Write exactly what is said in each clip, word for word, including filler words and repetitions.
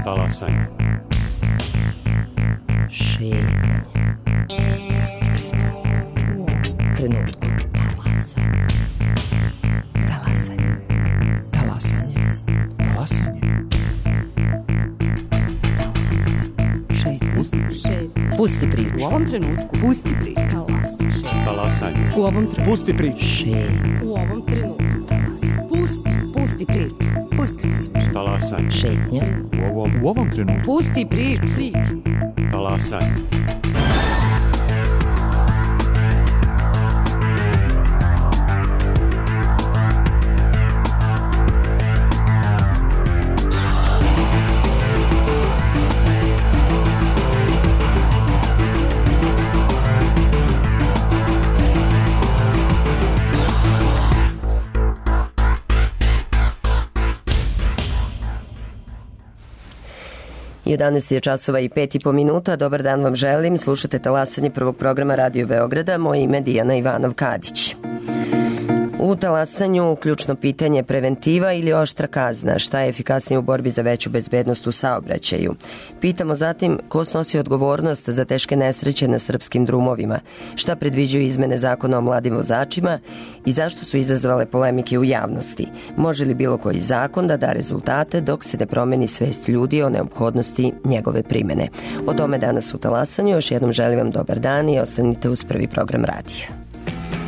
Talasanje. Šetanje. Pusti priču. U ovom trenutku. Talasanje. Talasanje. Talasanje. Talasanje. Šetanje. Pusti priču. U ovom trenutku. Pusti priču. Talasanje. Talasanje. U ovom trenutku. Pusti priču. Šetanje. U ovom trenutku. Talasanje. Pusti. Pusti priču. Pusti priču. Talasanje. Šetnja. U ovom, U ovom trenutku. Pusti priču. Priču. talasanje. jedanaest je časova i pet i po minuta. Dobar dan vam želim. Slušate Talasanje prvog programa Radio Beograda. Moje ime je Dijana Ivanov-Kadić. U Talasanju ključno pitanje preventiva ili oštra kazna. Šta je efikasnije u borbi za veću bezbednost u saobraćaju? Pitamo zatim ko snosi odgovornost za teške nesreće na srpskim drumovima, šta predviđaju izmene zakona o mladim vozačima i zašto su izazvale polemike u javnosti. Može li bilo koji zakon da da rezultate dok se ne promeni svest ljudi o neophodnosti njegove primene? O tome danas u Talasanju. Još jednom želim vam dobar dan i ostanite uz prvi program radija. Bye.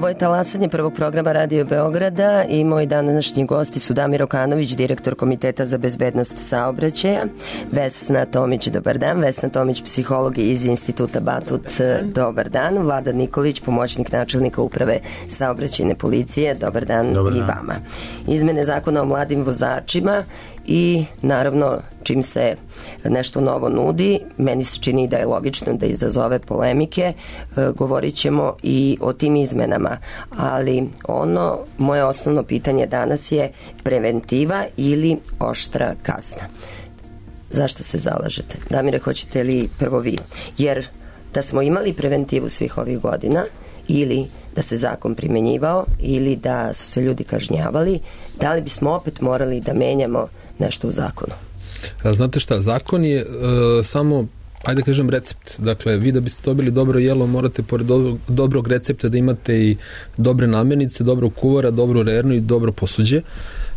Ovo je talasanje prvog programa Radio Beograda i moji današnji gosti su Damir Okanović, direktor Komiteta za bezbednost saobraćaja, Vesna Tomić, dobar dan, Vesna Tomić, psiholog iz Instituta Batut, dobar dan, Vlada Nikolić, pomoćnik načelnika uprave saobraćajne policije, dobar dan, dobar dan. I vama. Izmene zakona o mladim vozačima i naravno čim se nešto novo nudi, meni se čini da je logično da izazove polemike, e, govorit ćemo i o tim izmenama, ali ono, moje osnovno pitanje danas je preventiva ili oštra kazna. Zašto se zalažete? Damire, hoćete li prvo vi? Jer da smo imali preventivu svih ovih godina ili da se zakon primenjivao ili da su se ljudi kažnjavali, da li bismo opet morali da menjamo nešto u zakonu? Znate šta, zakon je uh, samo, ajde da kažem, recept. Dakle, vi da biste dobili dobro jelo, morate pored dobrog, dobrog recepta da imate i dobre namirnice, dobrog kuvara, dobru rernu i dobro posuđe,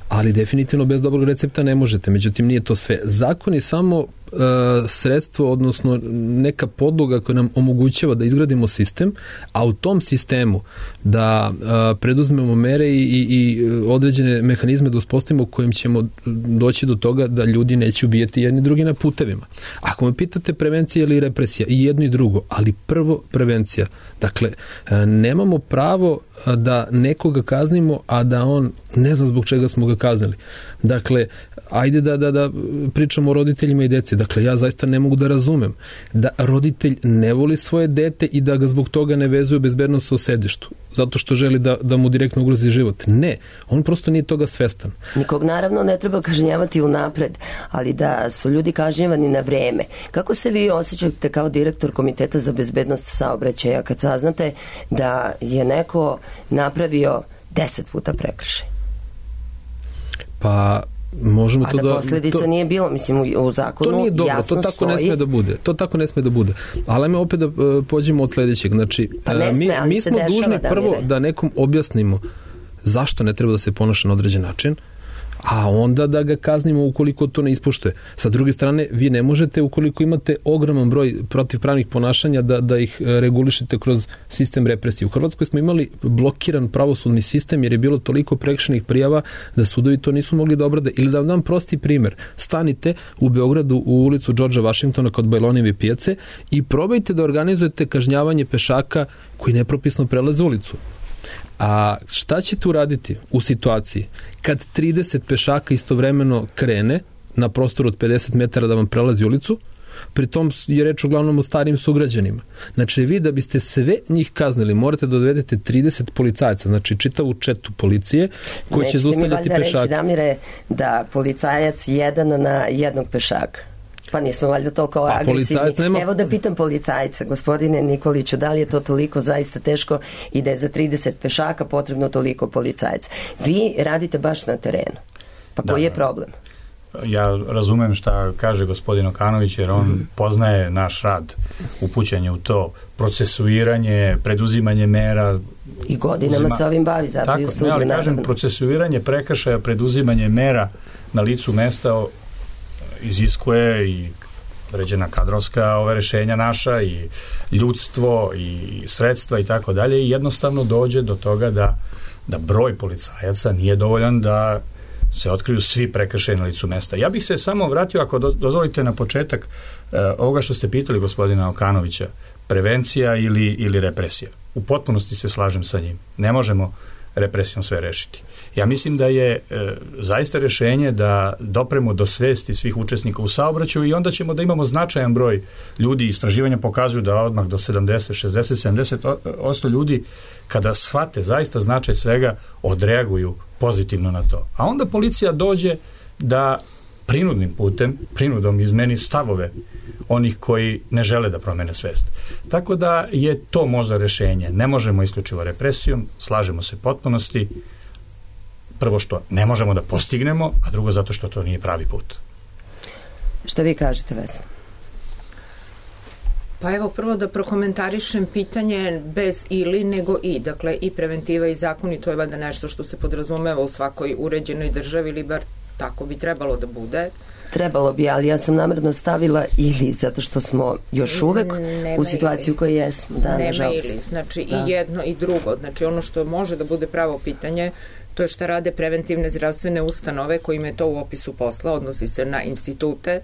ali definitivno bez dobrog recepta ne možete. Međutim, nije to sve. Zakon je samo uh, sredstvo, odnosno neka podloga koja nam omogućava da izgradimo sistem, a u tom sistemu da uh, preduzmemo mere i, i, i određene mehanizme da uspostavimo kojim ćemo doći do toga da ljudi neće ubijati jedni drugi na putevima. Ako me pitate prevencija ili represija, i jedno i drugo, ali prvo prevencija. Dakle, uh, nemamo pravo da nekoga kaznimo, a da on ne zna zbog čega smo ga kaznili. Dakle, ajde da, da, da pričamo o roditeljima i deci. Dakle, ja zaista ne mogu da razumem da roditelj ne voli svoje dete i da ga zbog toga ne vezuje bezbednost u sedištu, zato što želi da, da mu direktno ugrozi život. Ne, on prosto nije toga svestan. Nikog naravno ne treba kažnjavati unapred, ali da su ljudi kažnjavani na vreme. Kako se vi osjećate kao direktor Komiteta za bezbednost saobraćaja kad saznate da je neko napravio deset puta prekršaj? Pa možemo a to da da posledica to, nije bilo, mislim u, u zakonu to nije dobro, jasno to tako stoji. ne sme da bude. To tako ne sme da bude. Ali ajme opet da uh, pođemo od sledećeg. Znači, pa ne sme, mi, mi smo dužni da prvo da nekom objasnimo zašto ne treba da se ponaša na određen način, a onda da ga kaznimo ukoliko to ne ispoštuje. Sa druge strane, vi ne možete, ukoliko imate ogroman broj protivpravnih ponašanja, da, da ih regulišete kroz sistem represije. U Hrvatskoj smo imali blokiran pravosudni sistem jer je bilo toliko prekršajnih prijava da sudovi to nisu mogli da obrade. Ili da vam dam prosti primer. Stanite u Beogradu u ulicu Georgea Washingtona kod Bajlonijeve pijace i probajte da organizujete kažnjavanje pešaka koji nepropisno prelaze ulicu. A šta ćete uraditi u situaciji kad trideset pešaka istovremeno krene na prostoru od pedeset metara da vam prelazi ulicu, pritom je reč uglavnom o starim sugrađanima. Znači, vi da biste sve njih kaznili, morate da odvedete trideset policajaca, znači čitavu četu policije koji će zaustavljati pešake. Nećete mi valjda reći, Damire, da policajac jedan na jednog pešaka? Pa nismo valjda toliko pa, agresivni. Nema... Evo da pitam policajca, gospodine Nikoliću, da li je to toliko zaista teško i da je za trideset pešaka potrebno toliko policajaca? Vi radite baš na terenu. Pa koji da, je problem? Ja razumem šta kaže gospodin Okanović, jer on mm. poznaje naš rad, upućenje u to, procesuiranje, preduzimanje mera. I godinama uzima... se ovim bavi, zato tako, i u studiju. Ne, ali kažem, naravno. Procesuiranje prekršaja, preduzimanje mera na licu mesta iziskuje i određena kadrovska ove rešenja naša i ljudstvo i sredstva i tako dalje i jednostavno dođe do toga da, da broj policajaca nije dovoljan da se otkriju svi prekršaji na licu mesta. Ja bih se samo vratio, ako dozvolite, na početak eh, ovoga što ste pitali gospodina Okanovića, prevencija ili, ili represija. U potpunosti se slažem sa njim. Ne možemo represijom sve rešiti. Ja mislim da je e, zaista rešenje da dopremo do svesti svih učesnika u saobraćaju i onda ćemo da imamo značajan broj ljudi. Istraživanja pokazuju da odmah do sedamdeset, šezdeset, sedamdeset posto ljudi kada shvate zaista značaj svega odreaguju pozitivno na to. A onda policija dođe da prinudnim putem, prinudom izmeni stavove onih koji ne žele da promene svest. Tako da je to možda rešenje. Ne možemo isključivo represijom, slažemo se potpunosti. Prvo što ne možemo da postignemo, a drugo zato što to nije pravi put. Šta vi kažete, Vesna? Pa evo, prvo da prokomentarišem pitanje bez ili, nego i. Dakle, i preventiva i zakon, i to je valjda nešto što se podrazumeva u svakoj uređenoj državi, ili bar tako bi trebalo da bude. Trebalo bi, ali ja sam namjerno stavila ili, zato što smo još uvek nema u situaciji u kojoj jesmo. Da, nema nažalost. ili, znači da. I jedno i drugo. Znači ono što može da bude pravo pitanje, to je šta rade preventivne zdravstvene ustanove kojima je to u opisu posla, odnosi se na institute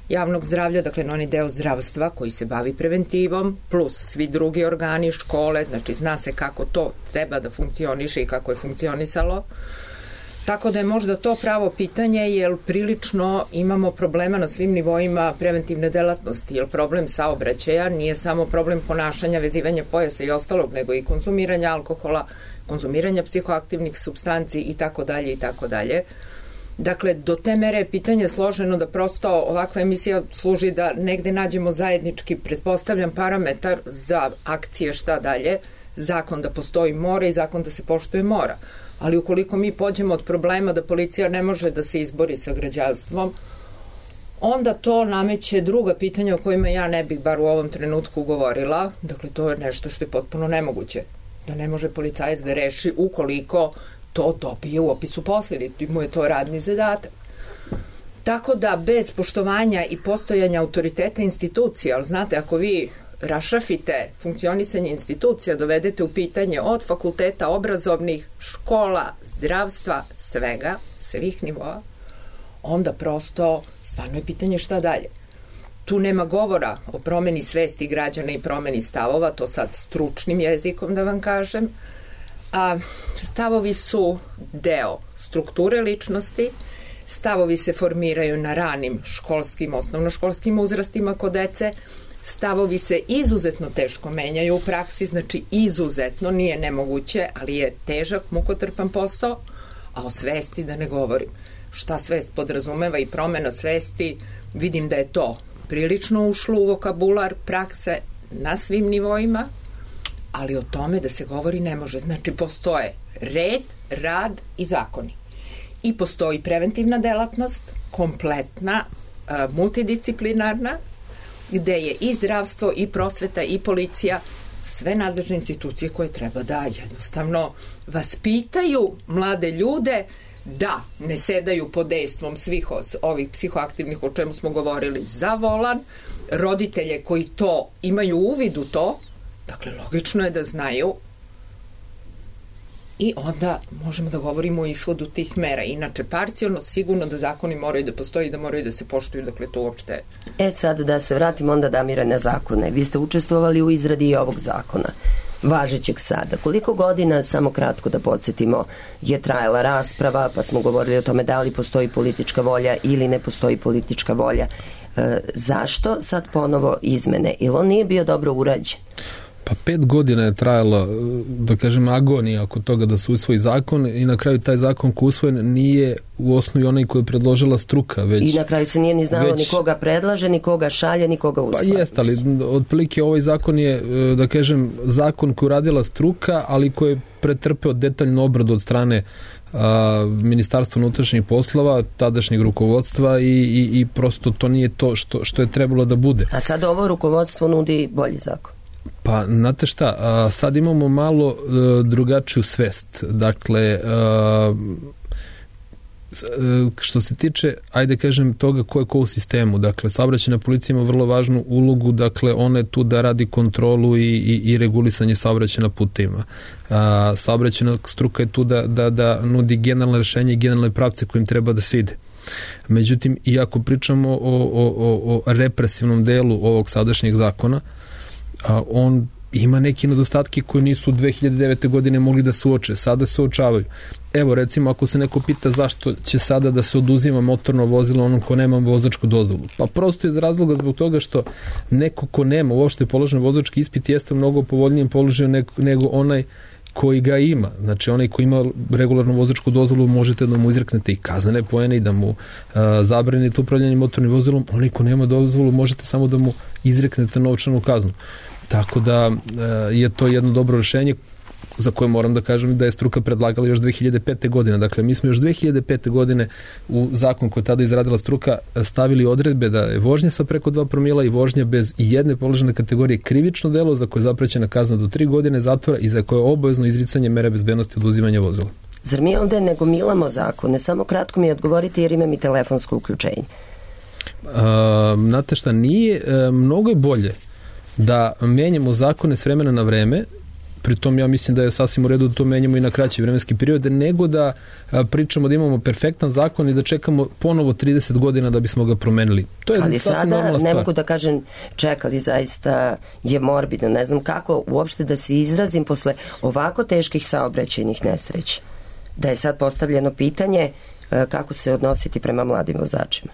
javnog zdravlja, dakle na onaj deo zdravstva koji se bavi preventivom, plus svi drugi organi, škole, znači zna se kako to treba da funkcioniše i kako je funkcionisalo. Tako da je možda to pravo pitanje, jer prilično imamo problema na svim nivoima preventivne delatnosti, jer problem saobraćaja nije samo problem ponašanja, vezivanja pojasa i ostalog, nego i konzumiranja alkohola, konzumiranja psihoaktivnih supstanci i tako dalje i tako dalje. Dakle, do te mere je pitanje složeno da prosto ovakva emisija služi da negde nađemo zajednički, pretpostavljam, parametar za akcije šta dalje, zakon da postoji mora i zakon da se poštuje mora. Ali ukoliko mi pođemo od problema da policija ne može da se izbori sa građanstvom, onda to nameće druga pitanja o kojima ja ne bih bar u ovom trenutku govorila. Dakle, to je nešto što je potpuno nemoguće. Da ne može policajac da reši ukoliko to dobije u opisu posla, ili mu je to radni zadatak. Tako da bez poštovanja i postojanja autoriteta institucija, ali znate, ako vi rašrafite funkcionisanje institucija, dovedete u pitanje od fakulteta, obrazovnih, škola, zdravstva, svega, svih nivoa, onda prosto stvarno je pitanje šta dalje. Tu nema govora o promeni svesti građana i promeni stavova, to sad stručnim jezikom da vam kažem, a stavovi su deo strukture ličnosti, stavovi se formiraju na ranim školskim, osnovnoškolskim uzrastima kod dece, stavovi se izuzetno teško menjaju u praksi, znači izuzetno, nije nemoguće, ali je težak, mukotrpan posao, a o svesti da ne govorim. Šta svest podrazumeva i promena svesti, vidim da je to prilično ušlo u vokabular prakse na svim nivoima, ali o tome da se govori ne može. Znači, postoje red, rad i zakoni. I postoji preventivna delatnost, kompletna, multidisciplinarna, gde je i zdravstvo, i prosveta, i policija, sve nadležne institucije koje treba da jednostavno vaspitaju mlade ljude da ne sedaju pod dejstvom svih ovih psihoaktivnih o čemu smo govorili za volan, roditelje koji to imaju uvid u to, dakle logično je da znaju i onda možemo da govorimo o ishodu tih mera. Inače, parcijalno, sigurno da zakoni moraju da postoji i da moraju da se poštuju, dakle to uopšte... E sad da se vratimo onda, Damire, na zakone. Vi ste učestvovali u izradi ovog zakona, važećeg sada. Koliko godina, samo kratko da podsjetimo, je trajala rasprava, pa smo govorili o tome da li postoji politička volja ili ne postoji politička volja. E, zašto sad ponovo izmene? Ili on nije bio dobro urađen? Pa pet godina je trajala, da kažem, agonija oko toga da se usvoji zakon i na kraju taj zakon koji je usvojen nije u osnovi onaj koji je predložila struka. Već, I na kraju se nije ni znalo već, ni koga predlaže, ni koga šalje, ni koga usvaja. Pa jest, ali otprilike ovaj zakon je, da kažem, zakon koji je radila struka, ali koji je pretrpeo detaljnu obradu od strane a, Ministarstva unutrašnjih poslova, tadašnjeg rukovodstva i, i, i prosto to nije to što, što je trebalo da bude. A sad ovo rukovodstvo nudi bolji zakon. Pa, znate šta, a, sad imamo malo a, drugačiju svest. Dakle, a, što se tiče, ajde kažem, toga ko je ko u sistemu. Dakle, saobraćajna policija ima vrlo važnu ulogu, dakle, ona je tu da radi kontrolu i, i, i regulisanje saobraćaja na putevima. A, saobraćajna struka je tu da, da, da nudi generalne rešenje i generalne pravce kojim treba da se ide. Međutim, iako pričamo o, o, o, o represivnom delu ovog sadašnjeg zakona, a on ima neki nedostatke koji nisu dve hiljade devete. godine mogli da se uoče, sada se uočavaju. Evo, recimo, ako se neko pita zašto će sada da se oduzima motorno vozilo onom ko nema vozačku dozvolu, pa prosto iz razloga zbog toga što neko ko nema uopšte položen vozački ispit jeste u mnogo povoljnijem položaju nego, nego onaj koji ga ima. Znači, onaj koji ima regularnu vozačku dozvolu možete da mu izreknete i kaznene poene i da mu a, zabranite upravljanje motornim vozilom. Onaj ko nema dozvolu možete samo da mu izreknete novčanu kaznu. Tako da je to jedno dobro rešenje za koje moram da kažem da je struka predlagala još dve hiljade pete. godine. Dakle, mi smo još dve hiljade pete. godine u zakon koji je tada izradila struka stavili odredbe da je vožnja sa preko dva promila i vožnja bez i jedne položene kategorije krivično delo za koje je zaprećena kazna do tri godine zatvora i za koje je obavezno izricanje mere bezbednosti oduzimanja vozila. Zar mi ovde ne gomilamo zakone? Samo kratko mi odgovorite jer imam i telefonsko uključenje. Znate šta, nije, mnogo je bolje da menjamo zakone s vremena na vreme, pritom ja mislim da je sasvim u redu da to menjamo i na kraći vremenski period, nego da pričamo da imamo perfektan zakon i da čekamo ponovo trideset godina da bismo ga promenili. To je ali sasvim normalna sada stvar. ne mogu da kažem čekali, zaista je morbidno, ne znam kako uopšte da se izrazim posle ovako teških saobraćajnih nesreća, da je sad postavljeno pitanje kako se odnositi prema mladim vozačima.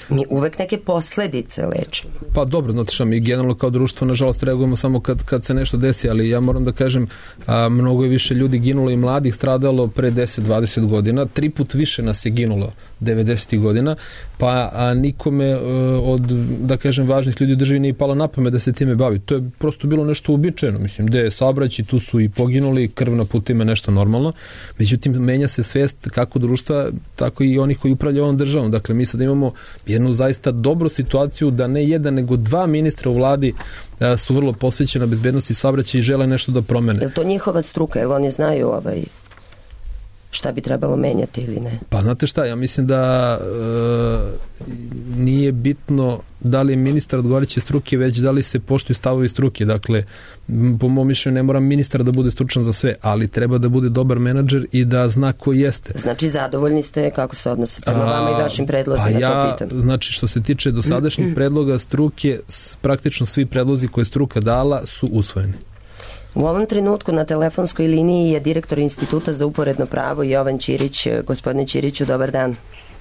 Mi uvek neke posledice lečimo. Pa dobro, znate šta, mi generalno kao društvo nažalost reagujemo samo kad, kad se nešto desi, ali ja moram da kažem, a, mnogo je više ljudi ginulo i mladih stradalo pre deset dvadeset godina, tri put više nas je ginulo devedesetih godina, pa a, nikome a, od, da kažem, važnih ljudi u državi nije palo na pamet da se time bavi. To je prosto bilo nešto uobičajeno, mislim, gde je saobraćaj, tu su i poginuli, krv na putima je nešto normalno, međutim menja se svest kako društva, tako i onih koji upravljaju ovom državom. Dakle, mi sad imamo jednu zaista dobru situaciju da ne jedan, nego dva ministra u vladi a, su vrlo posvećena bezbednosti saobraćaja i žele nešto da promene. Je li to njihova struka? Je li oni znaju ovaj, šta bi trebalo menjati ili ne? Pa znate šta, ja mislim da e, nije bitno da li je ministar odgovarajuće struke, već da li se poštuju stavovi struke. Dakle, po mom mišljenju ne mora ministar da bude stručan za sve, ali treba da bude dobar menadžer i da zna ko jeste. Znači, zadovoljni ste kako se odnose prema vama i vašim predlozima, pa ja, to pitam. Znači, što se tiče dosadašnjih predloga struke, praktično svi predlozi koje struka dala su usvojeni. U ovom trenutku na telefonskoj liniji je direktor Instituta za uporedno pravo Jovan Ćirić. Gospodine Ćiriću, dobar dan.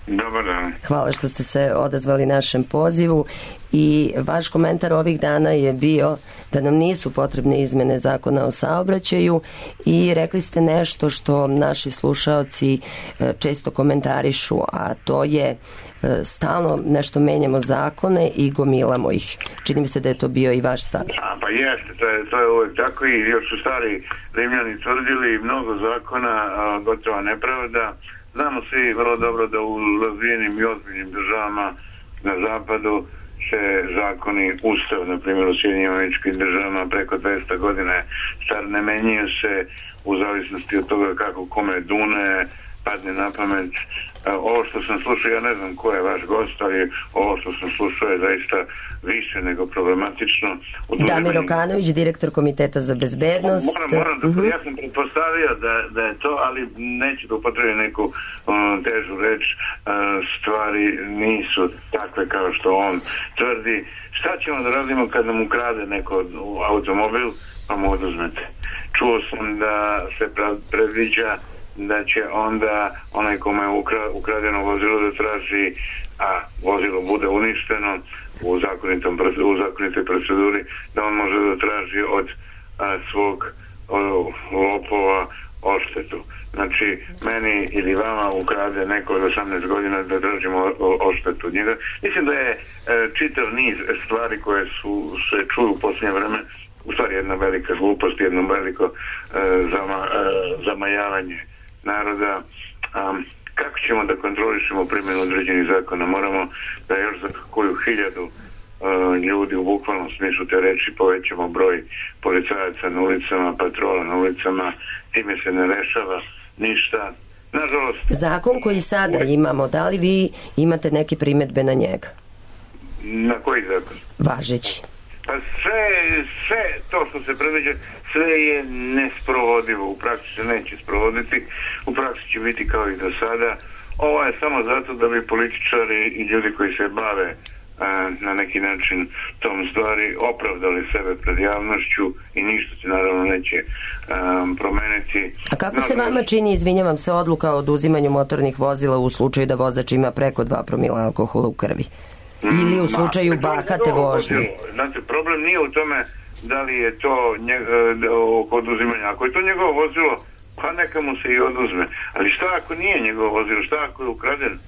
Dobar dan. Hvala što ste se odazvali našem pozivu i vaš komentar ovih dana je bio da nam nisu potrebne izmene zakona o saobraćaju i rekli ste nešto što naši slušaoci često komentarišu, a to je stalno nešto menjamo zakone i gomilamo ih. Čini mi se da je to bio i vaš stav. A, pa jeste, to je, to je uvek tako i još su stari Rimljani tvrdili mnogo zakona, a, gotova nepravda. Znamo svi vrlo dobro da u razvijenim i ozbiljnim državama na zapadu se zakoni, ustav, na primjer u Sjedinjenim Američkim Državama preko dvesta godina star, ne menjaju se u zavisnosti od toga kako kome dune, padne na pamet. Ovo što sam slušao, ja ne znam ko je vaš gost, ali ovo što sam slušao je zaista više nego problematično. Damir Okanović, direktor Komiteta za bezbednost. Moram, moram da, uh-huh. Ja sam pretpostavio da, da je to, ali neću da upotrebim neku um, težu reč. Uh, stvari nisu takve kao što on tvrdi. Šta ćemo da radimo kad nam ukrade neko automobil, pa mu oduzmete? Čuo sam da se predviđa da će onda onaj kome je ukradeno vozilo da traži, a vozilo bude uništeno u, zakonitom, u zakonitoj proceduri, da on može da traži od a, svog o, lopova odštetu. Znači, meni ili vama ukrade neko od osamnaest godina da tražimo odštetu od njega. Mislim da je e, čitav niz stvari koje su se čuju u posljednje vreme u stvari jedna velika glupost, jedno veliko e, zama, e, zamajavanje naroda. Um, kako ćemo da kontrolišemo primjenu određenih zakona? Moramo da još za koju hiljadu uh, ljudi u bukvalnom smislu te reči povećamo broj policajaca na ulicama, patrola na ulicama, time se ne rešava ništa. Nažalost, zakon koji sada imamo, da li vi imate neke primedbe na njega? Na koji zakon? Važeći. Pa sve, sve to što se predviđa, sve je nesprovodivo. U praksi se neće sprovoditi, u praksi će biti kao i do sada. Ovo je samo zato da bi političari i ljudi koji se bave a, na neki način tom stvari opravdali sebe pred javnošću i ništa se naravno neće a, promeniti. A kako se vama čini, izvinjavam se, odluka o oduzimanju motornih vozila u slučaju da vozač ima preko dva promila alkohola u krvi? Ili u slučaju Ma, bahate vožnje? Znate, problem nije u tome da li je to njeg, oko oduzimanja. Ako je to njegovo vozilo, pa neka mu se i oduzme. Ali šta ako nije njegovo vozilo? Šta ako je ukraden?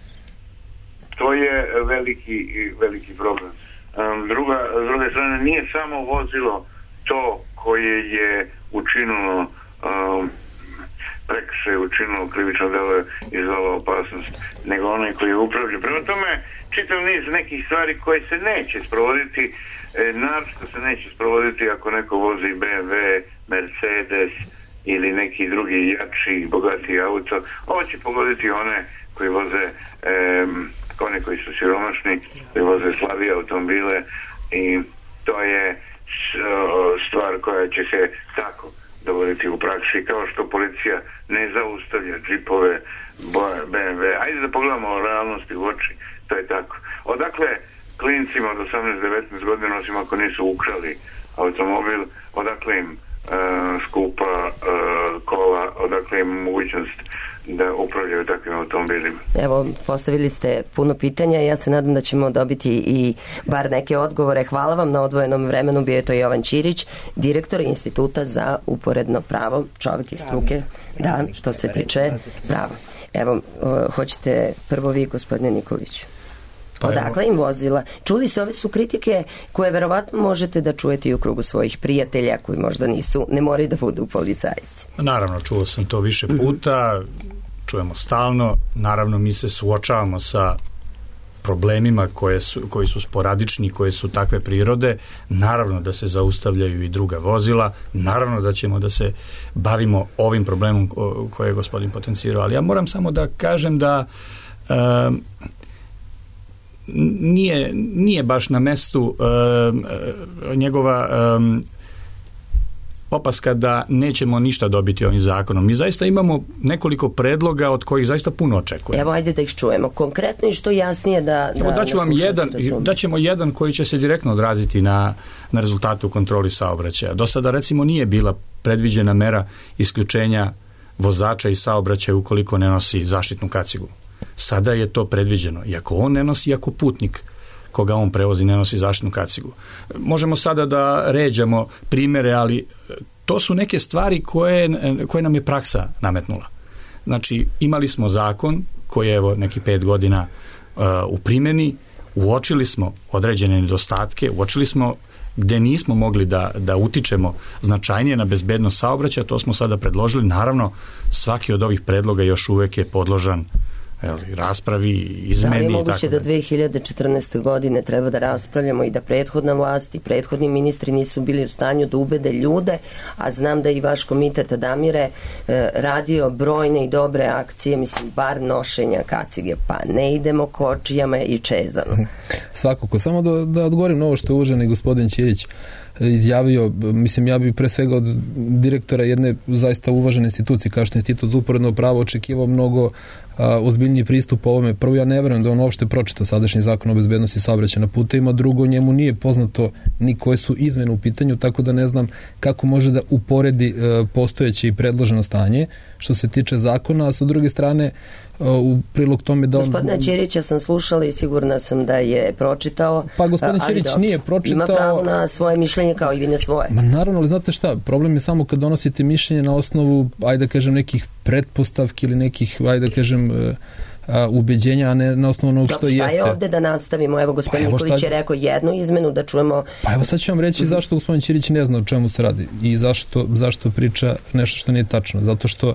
To je veliki, veliki problem. Um, druga, s druge strane, nije samo vozilo to koje je učinilo um, prekršaj, učinilo krivično delo, izvalo opasnost, nego onaj koji je upravlja. Prema tome, čitav niz nekih stvari koje se neće sprovoditi, e, naročito se neće sprovoditi ako neko vozi B M W, Mercedes ili neki drugi jači, bogatiji auto. Ovo će pogoditi one koji voze e, oni koji su siromašni, koji voze slabije automobile, i to je stvar koja će se tako dovoditi u praksi, kao što policija ne zaustavlja džipove, B M W. Ajde da pogledamo realnosti u oči, to je tako. Odakle klincima od osamnaest do devetnaest godina, osim ako nisu ukrali automobil, odakle im uh, skupa uh, kola, odakle im mogućnost da upravljaju takvim automobilima? Evo, postavili ste puno pitanja i ja se nadam da ćemo dobiti i bar neke odgovore. Hvala vam na odvojenom vremenu. Bio je to Jovan Ćirić, direktor Instituta za uporedno pravo, čovjek iz struke, da, što se tiče prava. Evo, hoćete prvo vi, gospodine Nikolić. Odakle im vozila? Čuli ste, ove su kritike koje verovatno možete da čujete i u krugu svojih prijatelja koji možda nisu, ne moraju da budu policajci. Naravno, čuo sam to više puta, čujemo stalno, naravno mi se suočavamo sa problemima koje su, koji su sporadični, koje su takve prirode, naravno da se zaustavljaju i druga vozila, naravno da ćemo da se bavimo ovim problemom koje je gospodin potencirao, ali ja moram samo da kažem da um, nije, nije baš na mestu um, njegova um, opaska da nećemo ništa dobiti ovim zakonom. Mi zaista imamo nekoliko predloga od kojih zaista puno očekujemo. Evo, ajde da ih čujemo. Konkretno i što jasnije da... Evo, da daću vam jedan, daćemo jedan koji će se direktno odraziti na, na rezultate u kontroli saobraćaja. Do sada, recimo, nije bila predviđena mera isključenja vozača iz saobraćaja ukoliko ne nosi zaštitnu kacigu. Sada je to predviđeno. Iako on ne nosi, iako putnik koga on prevozi ne nosi zaštitnu kacigu. Možemo sada da ređamo primere, ali to su neke stvari koje, koje nam je praksa nametnula. Znači, imali smo zakon koji je evo neki pet godina uh, u primjeni, uočili smo određene nedostatke, uočili smo gde nismo mogli da, da utičemo značajnije na bezbednost saobraćaja, to smo sada predložili. Naravno, svaki od ovih predloga još uvek je podložan raspravi, izmeni. Da li je moguće da dve hiljade četrnaeste. godine treba da raspravljamo i da prethodna vlast i prethodni ministri nisu bili u stanju da ubede ljude, a znam da i vaš komitet Adamire eh, radio brojne i dobre akcije, mislim, bar nošenja kacige, pa ne idemo kočijama i čezano. Svakako, samo da, da odgovorim na ovo što je uvaženi gospodin Ćirić izjavio, mislim, ja bih pre svega od direktora jedne zaista uvažene institucije kao što je Institut za uporedno pravo očekivao mnogo a, ozbiljniji pristup ovome. Prvo, ja ne verujem da on uopšte pročitao sadašnji zakon o bezbednosti saobraćaja na putevima, drugo, njemu nije poznato ni koje su izmene u pitanju, tako da ne znam kako može da uporedi a, postojeće i predloženo stanje što se tiče zakona, a sa druge strane u prilog tome da on... Gospodina Ćirića sam slušala i sigurna sam da je pročitao. Pa gospodin Ćirić nije pročitao... Ima pravo na svoje mišljenje kao i vi na svoje. Ma naravno, ali znate šta, problem je samo kad donosite mišljenje na osnovu, ajde da kažem, nekih pretpostavki ili nekih, ajde da kažem, a, ubeđenja, a ne na osnovu onog što jeste. Šta je ovde da nastavimo? Evo, gospodin pa Nikolić šta... je rekao jednu izmenu, da čujemo... Pa evo sad ću vam reći mm-hmm. zašto gospodin Ćirić ne zna o čemu se radi i zašto, zašto priča nešto što nije tačno. Zato što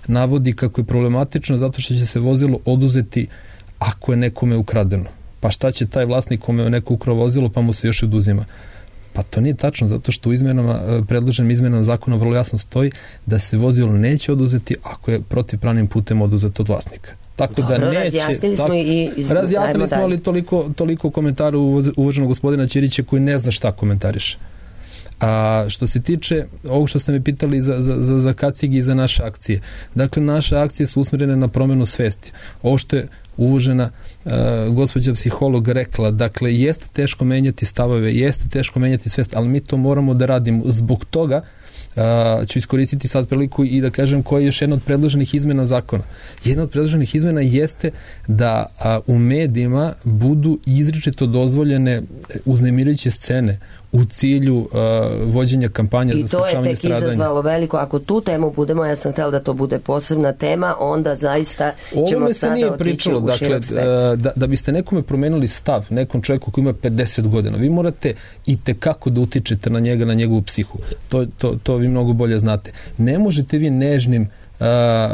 navodi kako je problematično, zato što će se vozilo oduzeti ako je nekome ukradeno. Pa šta će taj vlasnik kome je neko ukrao vozilo pa mu se još oduzima? Pa to nije tačno, zato što u izmenama, predloženim izmenama zakona vrlo jasno stoji da se vozilo neće oduzeti ako je protivpravnim putem oduzeto od vlasnika. Tako Dobro, da neće, razjasnili tako, smo i iz... razjasnili smo, ali toliko, toliko komentaru uvaženog gospodina Ćirića koji ne zna šta komentariše. A što se tiče ovog što ste me pitali za, za, za, za kacigi i za naše akcije, dakle naše akcije su usmjerene na promjenu svesti. Ovo što je uvažena uh, gospođa psiholog rekla, dakle jeste teško menjati stavove, jeste teško menjati svest, ali mi to moramo da radimo. Zbog toga Uh, ću iskoristiti sad priliku i da kažem koja je još jedna od predloženih izmena zakona. Jedna od predloženih izmena jeste da uh, u medijima budu izričito dozvoljene uznemirujuće scene u cilju uh, vođenja kampanja za sprečavanje stradanja. I to je tek izazvalo veliko. Ako tu temu budemo, ja sam htjela da to bude posebna tema, onda zaista ćemo sada otići pričalo, u širok spektar. Dakle, da, da biste nekome promenili stav, nekom čovjeku koji ima pedeset godina, vi morate i tekako da utičete na njega, na njegovu psihu. To, to, to vi mnogo bolje znate. Ne možete vi nežnim, uh,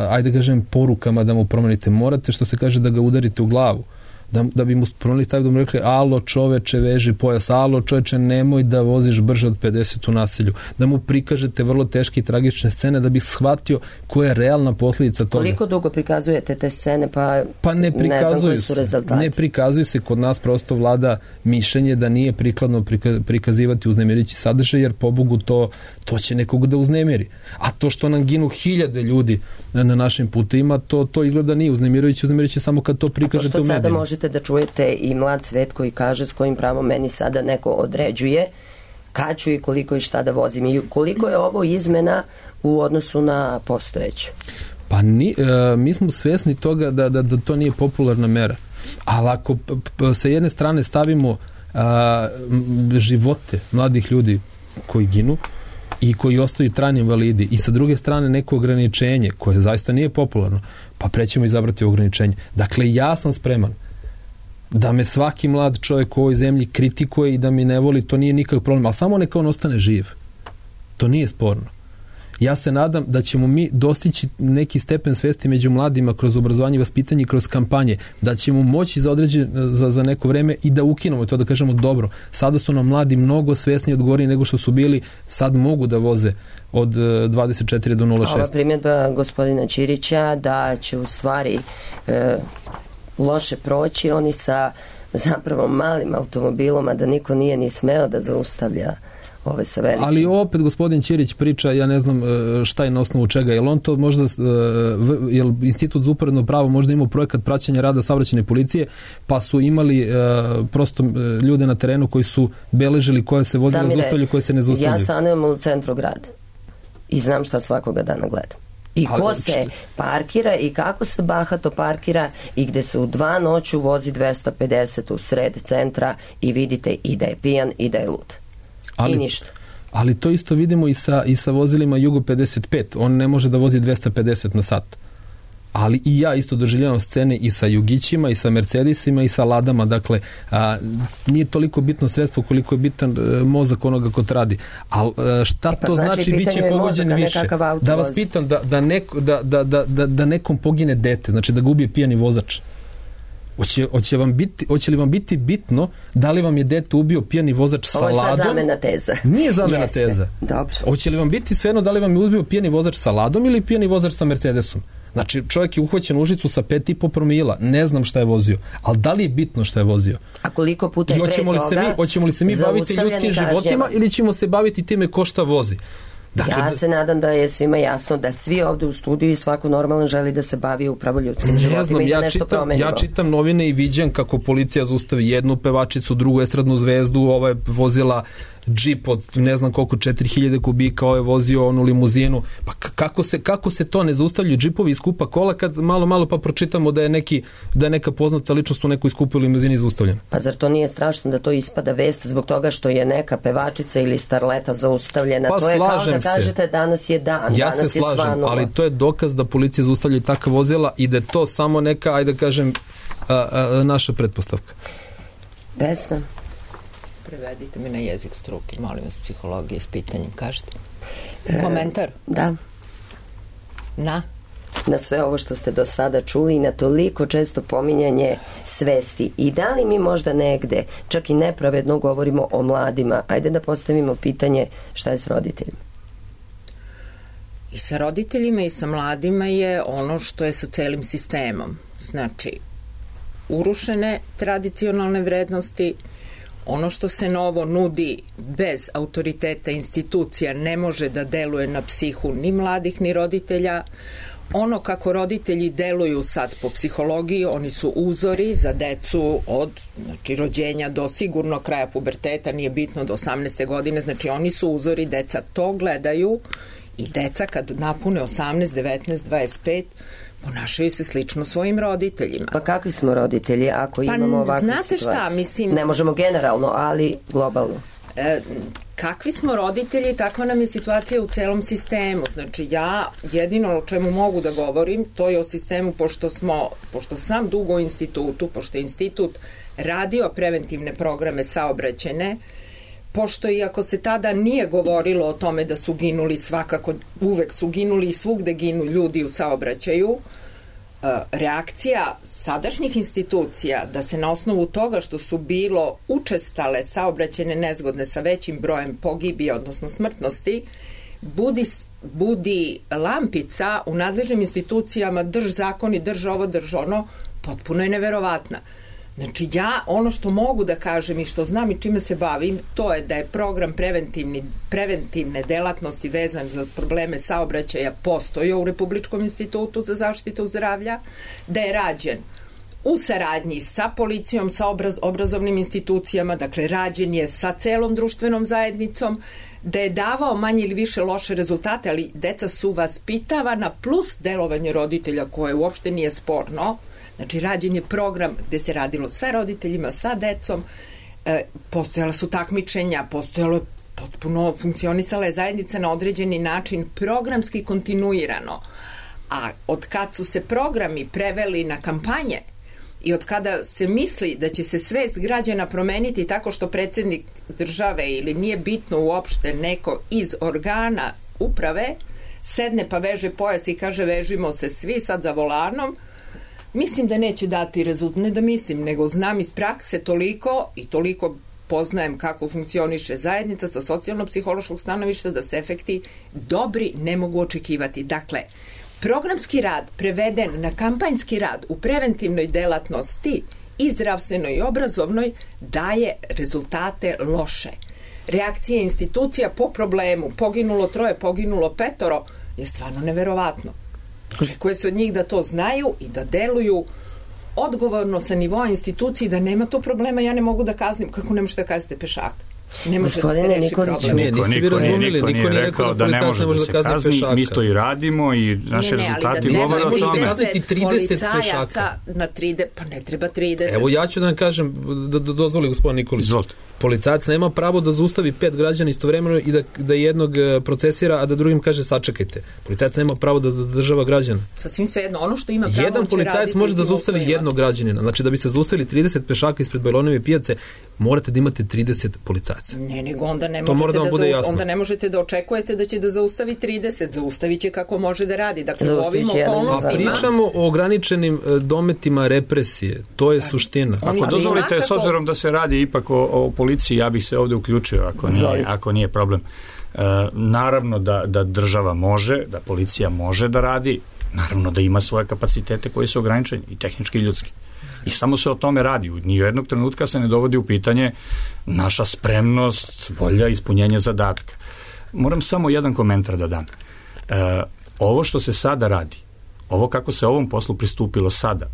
ajde da kažem, porukama da mu promenite. Morate, što se kaže, da ga udarite u glavu. da, da bi mu promenili stav, da mu rekli alo čoveče veži pojas, alo čoveče nemoj da voziš brže od pedeset u naselju, da mu prikažete vrlo teške i tragične scene da bi shvatio koja je realna posljedica toga. Koliko dugo prikazujete te scene, pa, pa ne, ne znam koji su rezultati? Ne prikazuju se, kod nas prosto vlada mišljenje da nije prikladno prikazivati uznemirujući sadržaj, jer pobogu to, to će nekog da uznemiri. A to što nam ginu hiljade ljudi na našim putima, to, to izgleda nije uznemirujući, uznemirujući samo kad to prikažete u medijima. Sada možete da čujete i mlad svet koji kaže s kojim pravom meni sada neko određuje kad ću i koliko i šta da vozim i koliko je ovo izmena u odnosu na postojeću? Pa ni, e, mi smo svjesni toga da, da, da to nije popularna mera, ali ako p, p, sa jedne strane stavimo a, živote mladih ljudi koji ginu i koji ostaju trajni invalidi i sa druge strane neko ograničenje koje zaista nije popularno, pa prećemo izabrati ograničenje. Dakle, ja sam spreman da me svaki mlad čovjek u ovoj zemlji kritikuje i da mi ne voli, to nije nikakav problem, ali samo neka on ostane živ. To nije sporno. Ja se nadam da ćemo mi dostići neki stepen svesti među mladima kroz obrazovanje i vaspitanje i kroz kampanje, da ćemo moći za, određen, za, za neko vreme i da ukinemo to, da kažemo dobro, sada su nam mladi mnogo svesni odgovorni nego što su bili, sad mogu da voze od dvadeset četiri do nula šest. Ova primjedba gospodina Ćirića da će u stvari e, loše proći oni sa zapravo malim automobilom, a da niko nije ni smeo da zaustavlja ove sa velikim. Ali opet gospodin Ćirić priča, ja ne znam šta je na osnovu čega, jel on to možda, jel Institut za uporedno pravo možda imao projekat praćenja rada saobraćajne policije, pa su imali prosto ljude na terenu koji su beležili koja se vozila zaustavljaju, koje se ne zaustavljaju. Ja stanujem u centru grada i znam šta svakoga dana gledam. I ko ali, se parkira i kako se bahato parkira i gde se u dva noću vozi dvesta pedeset u sred centra i vidite i da je pijan i da je lud. Ali, i ništa. Ali to isto vidimo i sa, i sa vozilima Jugo pedeset pet. On ne može da vozi dvesta pedeset na sat. Ali i ja isto doživljavam scene i sa Jugićima, i sa Mercedesima, i sa Ladama. Dakle, a, nije toliko bitno sredstvo koliko je bitan a, mozak onoga ko to radi. Ali šta e pa to znači, znači bit će pogođen više? Da vas pitam, da, da, neko, da, da, da, da, da nekom pogine dete, znači da ga ubije pijani vozač. Hoće, hoće, vam biti, hoće li vam biti bitno da li vam je dete ubio pijani vozač sa ladom? Ovo je sad zamena teza. Nije zamena Jeste. teza. Dobro. Hoće li vam biti svejedno da li vam je ubio pijani vozač sa ladom ili pijani vozač sa Mercedesom? Znači, čovjek je uhvaćen u žicu sa pet i po promila. Ne znam šta je vozio. Ali da li je bitno šta je vozio? A koliko puta je pre toga? Mi, hoćemo li se mi baviti ljudskim životima ili ćemo se baviti time ko šta vozi? Dakle, ja se nadam da je svima jasno da svi ovde u studiju i svako normalno želi da se bavi upravo ljudskim životima znam, i da ja nešto čitam, promenimo. Ja čitam novine i viđam kako policija zaustavi jednu pevačicu, drugu estradnu zvezdu, ova je vozila džip od ne znam koliko četiri hiljade kubika, ovo je vozio onu limuzinu. Pa kako se, kako se to ne zaustavljaju džipovi i skupa kola kad malo malo pa pročitamo da je, neki, da je neka poznata ličnost u nekoj skupoj limuzini zaustavljena? Pa zar to nije strašno da to ispada vest zbog toga što je neka pevačica ili starleta zaustavljena? Pa to je kao da se. kažete danas je dan, ja danas se je slažem, svanulo. Ali to je dokaz da policija zaustavlja takva vozila i da je to samo neka, ajde da kažem, a, a, naša pretpostavka. Vesna. Prevedite mi na jezik struke, molim vas, psihologije s pitanjem, kažete. Komentar? E, da. Na? Na sve ovo što ste do sada čuli i na toliko često pominjanje svesti. I da li mi možda negde, čak i nepravedno govorimo o mladima, ajde da postavimo pitanje šta je s roditeljima? I sa roditeljima i sa mladima je ono što je sa celim sistemom. Znači, urušene tradicionalne vrednosti, ono što se novo nudi bez autoriteta institucija ne može da deluje na psihu ni mladih ni roditelja. Ono kako roditelji deluju sad po psihologiji, oni su uzori za decu od znači, rođenja do sigurno kraja puberteta, nije bitno do osamnaeste godine, znači oni su uzori, deca to gledaju i deca kad napune osamnaest, devetnaest, dvadeset pet ponašaju se slično svojim roditeljima. Pa kakvi smo roditelji ako pa, imamo ovakvu znate situaciju? Šta, mislim... Ne možemo generalno, ali globalno. E, kakvi smo roditelji, takva nam je situacija u celom sistemu. Znači ja jedino o čemu mogu da govorim, to je o sistemu pošto smo, pošto sam dugo u institutu, pošto je institut radio preventivne programe saobraćajne, pošto iako se tada nije govorilo o tome da su ginuli svakako, uvek su ginuli i svugde ginu ljudi u saobraćaju, reakcija sadašnjih institucija da se na osnovu toga što su bilo učestale saobraćajne nezgodne sa većim brojem pogibija, odnosno smrtnosti, budi, budi lampica u nadležnim institucijama, drž zakon i drž ovo, drž ono, potpuno je neverovatna. Znači ja ono što mogu da kažem i što znam i čime se bavim, to je da je program preventivni, preventivne delatnosti vezan za probleme saobraćaja postojao u Republičkom institutu za zaštitu zdravlja, da je rađen u saradnji sa policijom, sa obraz, obrazovnim institucijama, dakle rađen je sa celom društvenom zajednicom, da je davao manje ili više loše rezultate, ali deca su vaspitavana plus delovanje roditelja koje uopšte nije sporno. Znači, rađen je program gde se radilo sa roditeljima, sa decom, e, postojala su takmičenja, postojalo je potpuno, funkcionisala je zajednica na određeni način, programski kontinuirano. A od kad su se programi preveli na kampanje i od kada se misli da će se svest građana promeniti tako što predsjednik države ili nije bitno uopšte neko iz organa uprave sedne pa veže pojas i kaže vežimo se svi sad za volanom, mislim da neće dati rezultat, ne da mislim, nego znam iz prakse toliko i toliko poznajem kako funkcioniše zajednica sa socijalno-psihološkog stanovišta da se efekti dobri ne mogu očekivati. Dakle, programski rad preveden na kampanjski rad u preventivnoj delatnosti i zdravstvenoj i obrazovnoj daje rezultate loše. Reakcije institucija po problemu, poginulo troje, poginulo petoro, je stvarno neverovatno. Očekuje se od njih da to znaju i da deluju odgovorno sa nivoa instituciji, da nema to problema, ja ne mogu da kaznim. Kako ne možete da kaznite pešaka? Ne može da se reši problem. Ne, niste vi razumili, niko nije rekao da ne može da se kazni, mi to i radimo i naši rezultati govore o tome. Ne možete kazniti trideset pešaka. Na trideset, pa ne treba trideset. Evo ja ću da vam kažem, da, da dozvoli gospodin Nikolić. Izvolite. Policajac nema pravo da zaustavi pet građana istovremeno i da, da jednog procesira, a da drugim kaže sačekajte. Policajac nema pravo da zadržava građana. Sasvim svejedno, ono što ima pravo jedan policajac može da zaustavi jednog građanina. Znači da bi se zaustavili trideset pešaka ispred Bajlonove pijace, morate da imate trideset policajaca. Ne, nego onda ne možete da, da zaus... onda ne možete da očekujete da će da zaustavi trideset, zaustaviće kako može da radi. Dakle, u ovim okolnostima... Pričamo o ograničenim dometima represije. To je suština. Ako dozvolite, kako... s obzirom da se radi ipak o, o policiji, ja bih se ovde uključio ako nije, ako nije problem. E, naravno da, da država može, da policija može da radi, naravno da ima svoje kapacitete koji su ograničeni, i tehnički i ljudski. I samo se o tome radi. Ni u jednog trenutka se ne dovodi u pitanje naša spremnost, volja, ispunjenje zadatka. Moram samo jedan komentar da dam. E, ovo što se sada radi, ovo kako se ovom poslu pristupilo sada,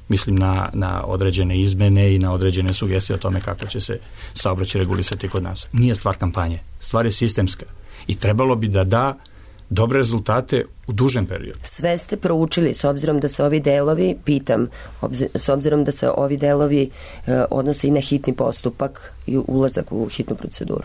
mislim na, na određene izmene i na određene sugestije o tome kako će se saobraćaj regulisati kod nas. Nije stvar kampanje, stvar je sistemska i trebalo bi da da dobre rezultate u dužem periodu. Sve ste proučili, s obzirom da se ovi delovi, pitam, obzir, s obzirom da se ovi delovi e, odnose i na hitni postupak i ulazak u hitnu proceduru.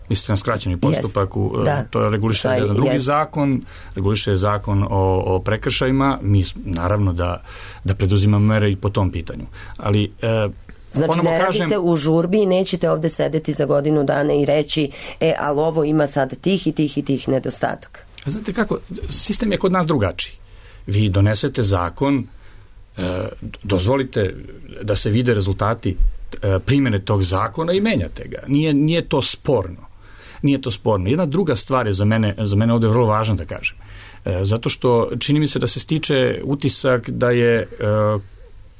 Mislite na skraćeni postupak, u, da. To reguliše Šaj, jedan drugi jest. zakon, reguliše zakon o, o prekršajima, mi naravno da, da preduzimamo mere i po tom pitanju. Ali e, znači ne radite kažem, u žurbi i nećete ovde sedeti za godinu dana i reći, e, ali ovo ima sad tih i tih i tih nedostataka. Znate kako, sistem je kod nas drugačiji. Vi donesete zakon, e, dozvolite da se vide rezultati e, primjene tog zakona i menjate ga. Nije, nije to sporno. Nije to sporno. Jedna druga stvar je za mene, za mene ovde vrlo važno da kažem. E, zato što čini mi se da se stiče utisak da je e,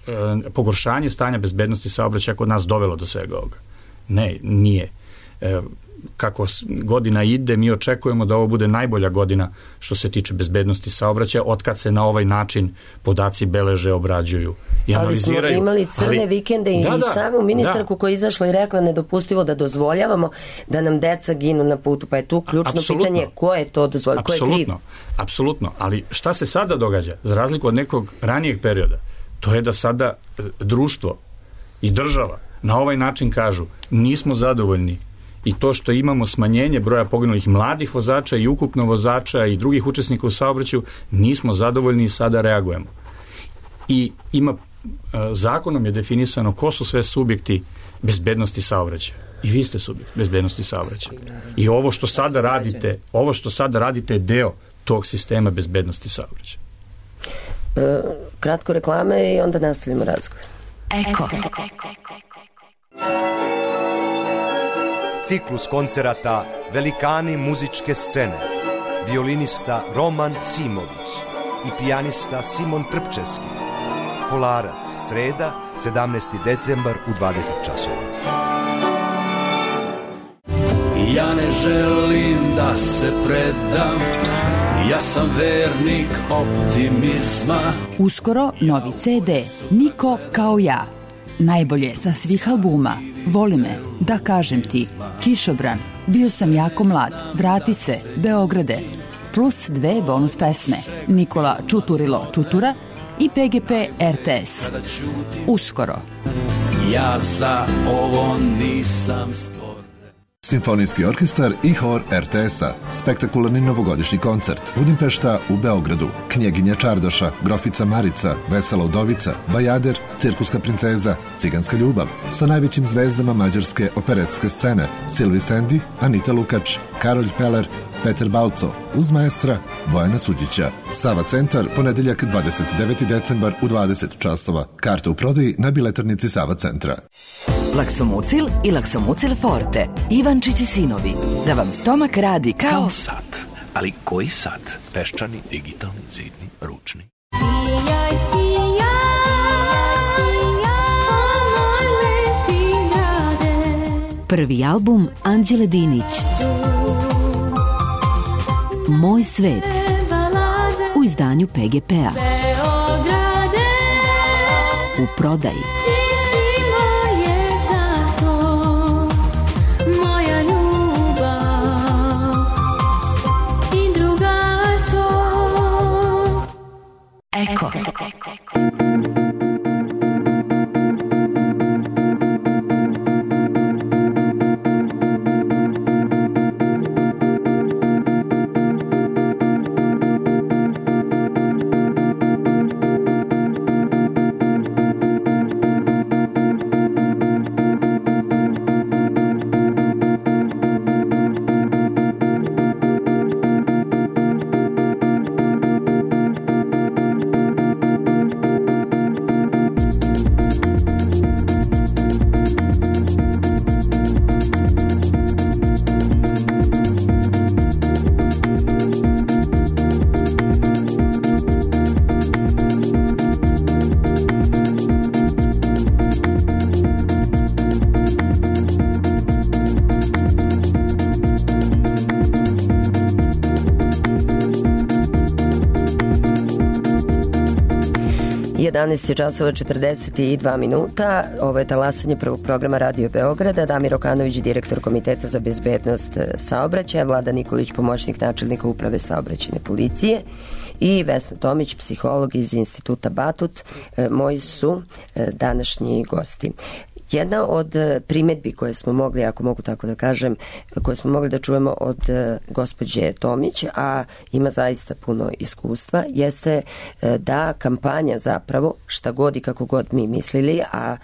e, pogoršanje stanja bezbednosti saobraćaja kod nas dovelo do svega ovoga. Ne, nije. E, kako godina ide, mi očekujemo da ovo bude najbolja godina što se tiče bezbednosti saobraćaja, otkad se na ovaj način podaci beleže, obrađuju i analiziraju. Ali smo imali crne ali, vikende i da, da, samu ministarku da. koja je izašla i rekla nedopustivo da dozvoljavamo da nam deca ginu na putu, pa je tu ključno Absolutno. pitanje ko je to dozvoljeno, ko je kriv. Apsolutno, ali šta se sada događa, za razliku od nekog ranijeg perioda, to je da sada društvo i država na ovaj način kažu nismo zadovoljni i to što imamo smanjenje broja poginulih mladih vozača i ukupno vozača i drugih učesnika u saobraćaju, nismo zadovoljni i sada reagujemo. I ima, zakonom je definisano ko su sve subjekti bezbednosti saobraćaja. I vi ste subjekt bezbednosti saobraćaja. I ovo što sada radite, ovo što sada radite je deo tog sistema bezbednosti saobraćaja. E, kratko reklame i onda nastavimo razgovor. Eko. Ciklus koncerata Velikani muzičke scene. Violinista Roman Simović i pijanista Simon Trpčevski. Polarac, sreda, sedamnaesti decembar u dvadeset časova. Ja ne želim da se predam, ja sam vernik optimizma. Uskoro novi ce de Niko kao ja. Najbolje sa svih albuma. Voli me, da kažem ti, Kišobran, bio sam jako mlad, vrati se, Beograde. Plus dve bonus pesme, Nikola Čuturilo Čutura i pe ge pe er te es. Uskoro. Ja za ovo nisam stvoren. Simfonijski orkestar i hor er te es-a. Spektakularni novogodišnji koncert. Budimpešta u Beogradu. Knjeginja Čardoša, Grofica Marica, Vesela Udovica, Bajader, Cirkuska princeza, Ciganska ljubav. Sa najvećim zvezdama mađarske operetske scene. Silvi Sendi, Anita Lukač, Karolj Peler, Peter Balco, uz maestra Bojana Suđića. Sava centar, ponedeljak dvadeset deveti decembar u dvadeset časova. Karte u prodaji na biletarnici Sava centra. Laksomucil i Laksomucil Forte. Ivančić i sinovi. Da vam stomak radi kao... Kao sat. Ali koji sat? Peščani, digitalni, zidni, ručni. Sijaj, sijaj, sijaj, moj lepi grade. Prvi album Anđele Dinić. Moj svet. U izdanju pe ge pe-a. U prodaji. Eko. jedanaest je časova četrdeset dva minuta. Ovo je talasanje prvog programa Radio Beograda. Damir Okanović, direktor Komiteta za bezbednost saobraćaja, Vlada Nikolić, pomoćnik načelnika Uprave saobraćajne policije i Vesna Tomić, psiholog iz Instituta Batut, moji su današnji gosti. Jedna od primedbi koje smo mogli, ako mogu tako da kažem, koje smo mogli da čujemo od gospođe Tomić, a ima zaista puno iskustva, jeste da kampanja zapravo, šta god i kako god mi mislili, a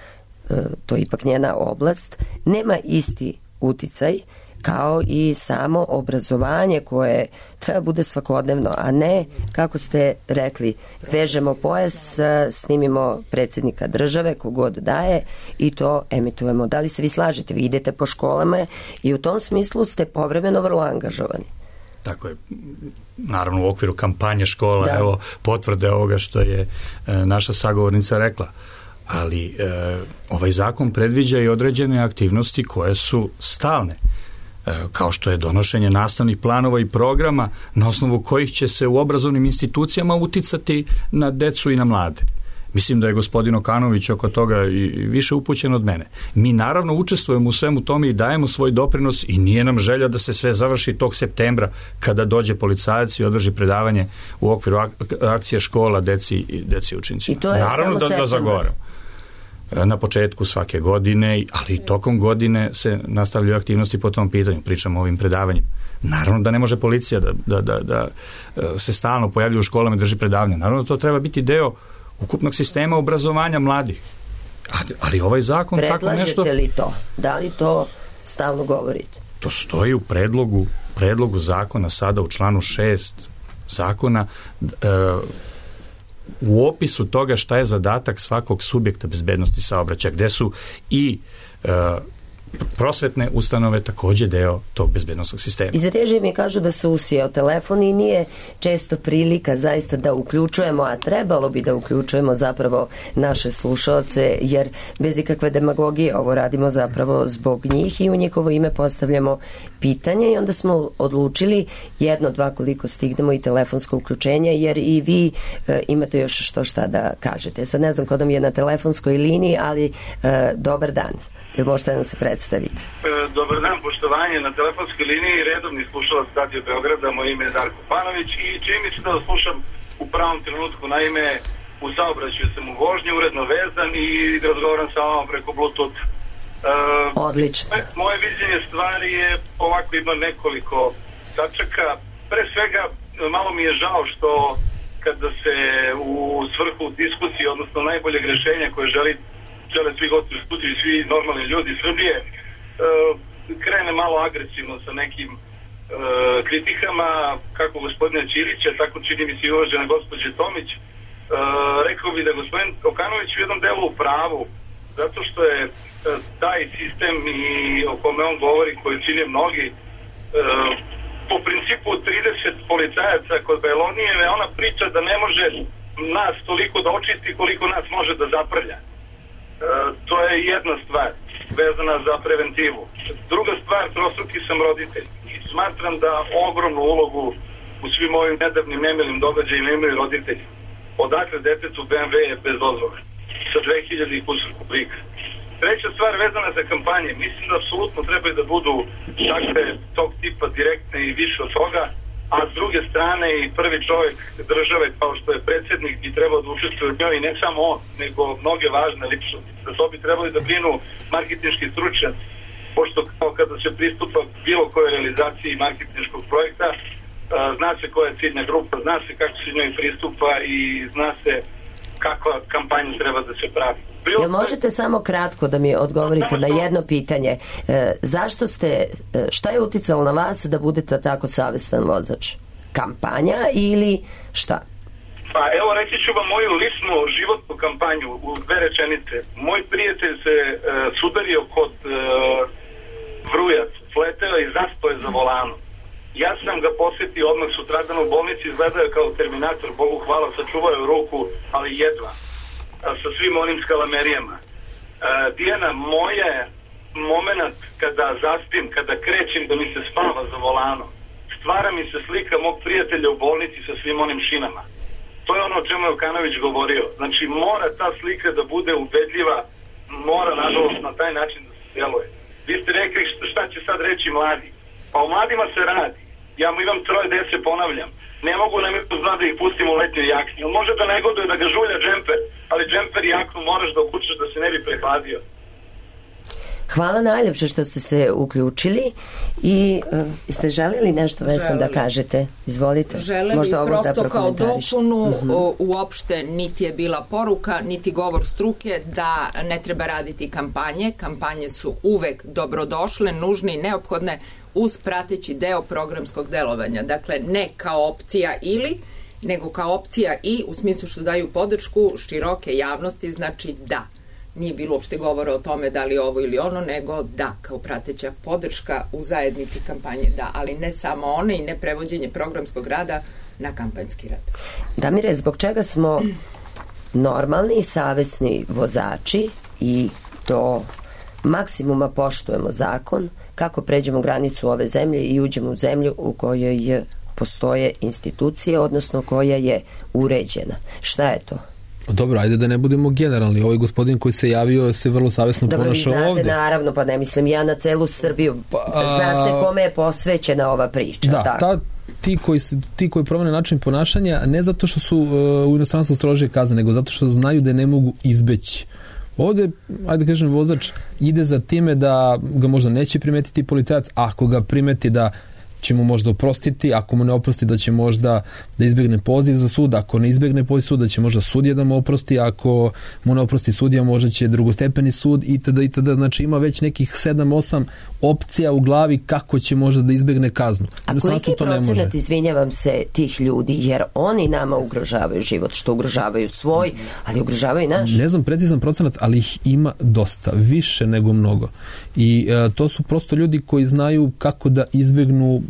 to je ipak njena oblast, nema isti uticaj kao i samo obrazovanje koje treba bude svakodnevno, a ne, kako ste rekli, vežemo pojas, snimimo predsjednika države, kogod daje i to emitujemo. Da li se vi slažete? Vi idete po školama i u tom smislu ste povremeno vrlo angažovani. Tako je. Naravno u okviru kampanje škola, da. Evo potvrde ovoga što je e, naša sagovornica rekla. Ali e, ovaj zakon predviđa i određene aktivnosti koje su stalne, kao što je donošenje nastavnih planova i programa na osnovu kojih će se u obrazovnim institucijama uticati na decu i na mlade. Mislim da je gospodin Okanović oko toga i više upućen od mene. Mi naravno učestvujemo u svemu tome i dajemo svoj doprinos i nije nam želja da se sve završi tog septembra kada dođe policajac i održi predavanje u okviru ak- akcije škola deci, deci učenicima. I to je naravno samo da, da zagovaram. Na početku svake godine, ali i tokom godine se nastavljaju aktivnosti po tom pitanju, pričamo o ovim predavanjima. Naravno da ne može policija da, da, da, da se stalno pojavljuje u školama i drži predavanje. Naravno da to treba biti deo ukupnog sistema obrazovanja mladih. Ali, ali ovaj zakon tako nešto... Predlažete li to? Da li to stalno govorite? To stoji u predlogu, predlogu zakona sada u članu šest zakona. E, u opisu toga šta je zadatak svakog subjekta bezbednosti saobraćaja, gde su i uh, prosvetne ustanove takođe deo tog bezbednosnog sistema. Iz režije mi kažu da se usijao telefon i nije često prilika zaista da uključujemo, a trebalo bi da uključujemo zapravo naše slušalce, jer bez ikakve demagogije ovo radimo zapravo zbog njih i u njihovo ime postavljamo pitanje i onda smo odlučili jedno, dva koliko stignemo i telefonsko uključenje, jer i vi e, imate još što šta da kažete. Sad ne znam ko da mi je na telefonskoj liniji, ali e, dobar dan. Ili možete nam se predstaviti? Dobar dan, poštovanje. Na telefonskoj liniji redovni slušalac Radio Beograda, moje ime je Darko Panović i čini mi se da vas slušam u pravom trenutku. Naime, u saobraćaju sam u vožnji, uredno vezan i razgovaram sa vama preko Bluetooth. Uh, Odlično. Moje viđenje stvari je ovako, ima nekoliko tačaka. Pre svega, malo mi je žao što kada se u svrhu diskusije, odnosno najboljeg rešenja koje želi žele svi gosti u studiju i svi normalni ljudi Srbije, e, krene malo agresivno sa nekim e, kritikama, kako gospodina Ćirića, tako čini mi se i uvažena gospođe Tomić. E, rekao bi da gospodin Okanović u jednom delu u pravu, zato što je e, taj sistem i o kome on govori, koji čine mnogi, e, po principu trideset policajaca kod Belonijeve, ona priča da ne može nas toliko da očisti koliko nas može da zaprlja. E, to je jedna stvar vezana za preventivu. Druga stvar, trostruki sam roditelj i smatram da ogromnu ulogu u svim ovim nedavnim nemilim događajima imaju roditelji. Odakle detetu B M W je bez dozvole sa dve hiljade i kusur kuplika. Treća stvar vezana za kampanje, mislim da apsolutno trebaju da budu takve tog tipa direktne i više od toga, a s druge strane i prvi čovjek države kao što je predsjednik bi trebao da učestvuje u njoj i ne samo on, nego mnoge važne ličnosti. Za to bi trebali da brinu marketinški stručnjaci, pošto kao kada se pristupa bilo koje realizaciji marketinškog projekta, zna se koja je ciljna grupa, zna se kako se njoj pristupa i zna se kakva kampanja treba da se pravi. Jel možete samo kratko da mi odgovorite na jedno pitanje? E, zašto ste, e, šta je uticalo na vas da budete tako savestan vozač? Kampanja ili šta? Pa evo reći ću vam moju ličnu životnu kampanju u dve rečenice. Moj prijatelj se e, sudario kod e, Vrujac, sleteo i zaspao je za volanom. Ja sam ga posjetio odmah sutradan u bolnici, izgledao je kao Terminator, Bogu hvala, sačuvao je ruku, ali jedva, sa svim onim skalamerijama. E, Dijana, moje moment kada zaspim, kada krećem da mi se spava za volano, stvara mi se slika mog prijatelja u bolnici sa svim onim šinama. To je ono o čemu je Okanović govorio. Znači, mora ta slika da bude ubedljiva, mora, nažalost, na taj način da se djeluje. Vi ste rekli šta će sad reći mladi. Pa o mladima se radi. Ja imam troje dece, ponavljam. Ne mogu nam je pozna da ih pustimo u letnjoj jakni. On može da negoduje da ga žulja džemper, ali džemper i jaknu moraš da okučaš da se ne bi prehladio. Hvala najljepše što ste se uključili i uh, ste želeli nešto, Vesna, da kažete? Izvolite. Želim možda i prosto da kao dopunu, uh-huh. uopšte niti je bila poruka, niti govor struke da ne treba raditi kampanje. Kampanje su uvek dobrodošle, nužne i neophodne uz prateći deo programskog delovanja. Dakle, ne kao opcija ili, nego kao opcija i u smislu što daju podršku široke javnosti, znači da. Nije bilo uopšte govora o tome da li ovo ili ono, nego da, kao prateća podrška u zajednici kampanje, da, ali ne samo one i ne prevođenje programskog rada na kampanjski rad. Damire, zbog čega smo normalni i savesni vozači i do maksimuma poštujemo zakon, kako pređemo granicu ove zemlje i uđemo u zemlju u kojoj postoje institucije, odnosno koja je uređena? Šta je to? Dobro, ajde da ne budemo generalni. Ovaj gospodin koji se javio se vrlo savesno ponašao ovde. Dobro, vi znate, naravno, pa ne mislim ja na celu Srbiju. Zna se kome je posvećena ova priča. Da, tako. Ta, ti, koji, ti koji promene način ponašanja, ne zato što su uh, u inostranstvu strožije kazne, nego zato što znaju da ne mogu izbeći. Ovde, ajde kažem, vozač ide za time da ga možda neće primetiti policajac, ako ga primeti da će mu možda oprostiti, ako mu ne oprosti da će možda da izbjegne poziv za sud, ako ne izbjegne poziv suda će možda sudija da mu oprosti, ako mu ne oprosti sudija možda će drugostepeni sud itd. itd. Znači ima već nekih sedam osam opcija u glavi kako će možda da izbjegne kaznu. A koliki je procenat, izvinjavam se, tih ljudi, jer oni nama ugrožavaju život, što ugrožavaju svoj, ali ugrožavaju naš? Ne znam precizan procenat, ali ih ima dosta, više nego mnogo. I e, to su prosto ljudi koji znaju kako da izbjegnu,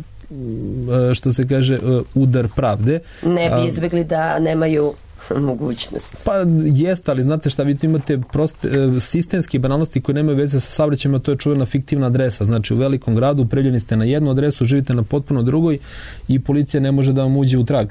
e, što se kaže, e, udar pravde. Ne bi izbjegli da nemaju mogućnost. Pa jest, ali znate šta, vi tu imate proste, sistemske banalnosti koje nemaju veze sa saobraćajima, to je čuvena fiktivna adresa. Znači u velikom gradu prijavljeni ste na jednu adresu, živite na potpuno drugoj i policija ne može da vam uđe u trag.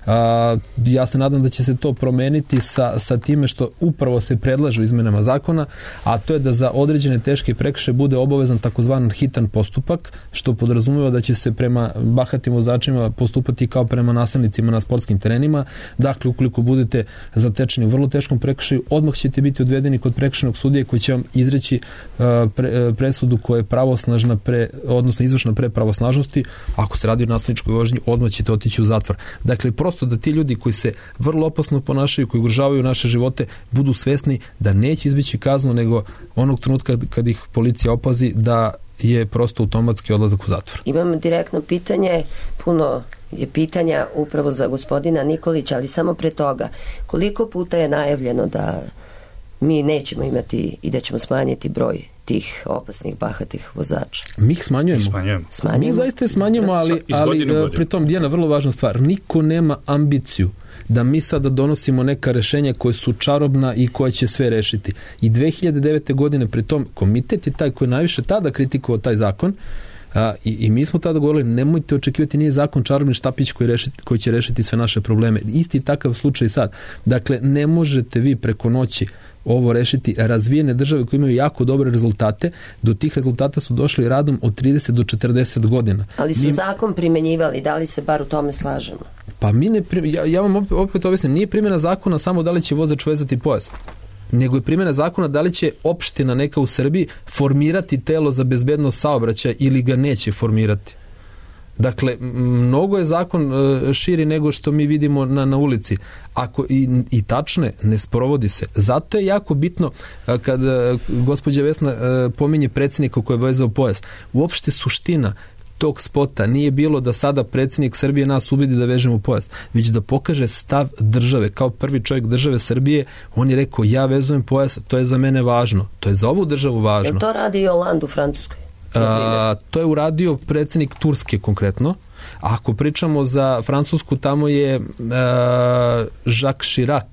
A, ja se nadam da će se to promeniti sa, sa time što upravo se predlažu izmenama zakona, a to je da za određene teške prekršaje bude obavezan takozvan hitan postupak, što podrazumeva da će se prema bahatim vozačima postupati kao prema nasilnicima na sportskim terenima. Dakle, ukoliko budete zatečeni u vrlo teškom prekršaju, odmah ćete biti odvedeni kod prekršajnog sudije koji će vam izreći uh, pre, presudu koja je pravosnažna pre, odnosno izvršna pre pravosnažnosti. Ako se radi o nasilničkoj vožnji, odmah ćete otići u zatvor. Dakle, prosto da ti ljudi koji se vrlo opasno ponašaju, koji ugrožavaju naše živote, budu svesni da neće izbjeći kaznu, nego onog trenutka kad ih policija opazi da je prosto automatski odlazak u zatvor. Imam direktno pitanje, puno je pitanja upravo za gospodina Nikolića, ali samo pre toga, koliko puta je najavljeno da mi nećemo imati i da ćemo smanjiti broj tih opasnih, bahatih vozača? Mi ih smanjujemo. smanjujemo. smanjujemo. Mi zaista je smanjujemo, ali, ali pri tom Dijana, vrlo važna stvar, niko nema ambiciju da mi sada donosimo neka rešenja koje su čarobna i koje će sve rešiti. I dve hiljade devete. godine pri tom komitet je taj koji je najviše tada kritikovao taj zakon. A, i, i mi smo tada govorili, nemojte očekivati, nije zakon čarobni štapić koji, rešiti, koji će rešiti sve naše probleme. Isti takav slučaj sad. Dakle, ne možete vi preko noći ovo rešiti. Razvijene države koje imaju jako dobre rezultate, do tih rezultata su došli radom od trideset do četrdeset godina. Ali su mi... zakon primenjivali, da li se bar u tome slažemo? Pa mi ne, ja, ja vam opet, opet objasnim, nije primjena zakona samo da li će vozač vezati pojas, nego je primjena zakona da li će opština neka u Srbiji formirati telo za bezbednost saobraćaja ili ga neće formirati. Dakle, mnogo je zakon širi nego što mi vidimo na, na ulici. Ako i, i tačne, ne sprovodi se. Zato je jako bitno kad gospođa Vesna pominje predsjednika koji je vezao pojas. Uopšte suština tog spota nije bilo da sada predsjednik Srbije nas ubedi da vežemo pojas, već da pokaže stav države. Kao prvi čovjek države Srbije, on je rekao, ja vezujem pojas, to je za mene važno. To je za ovu državu važno. Jel to radi i Hollande u Francuskoj? A, to je uradio predsjednik Turske konkretno. A ako pričamo za Francusku, tamo je a, Jacques Chirac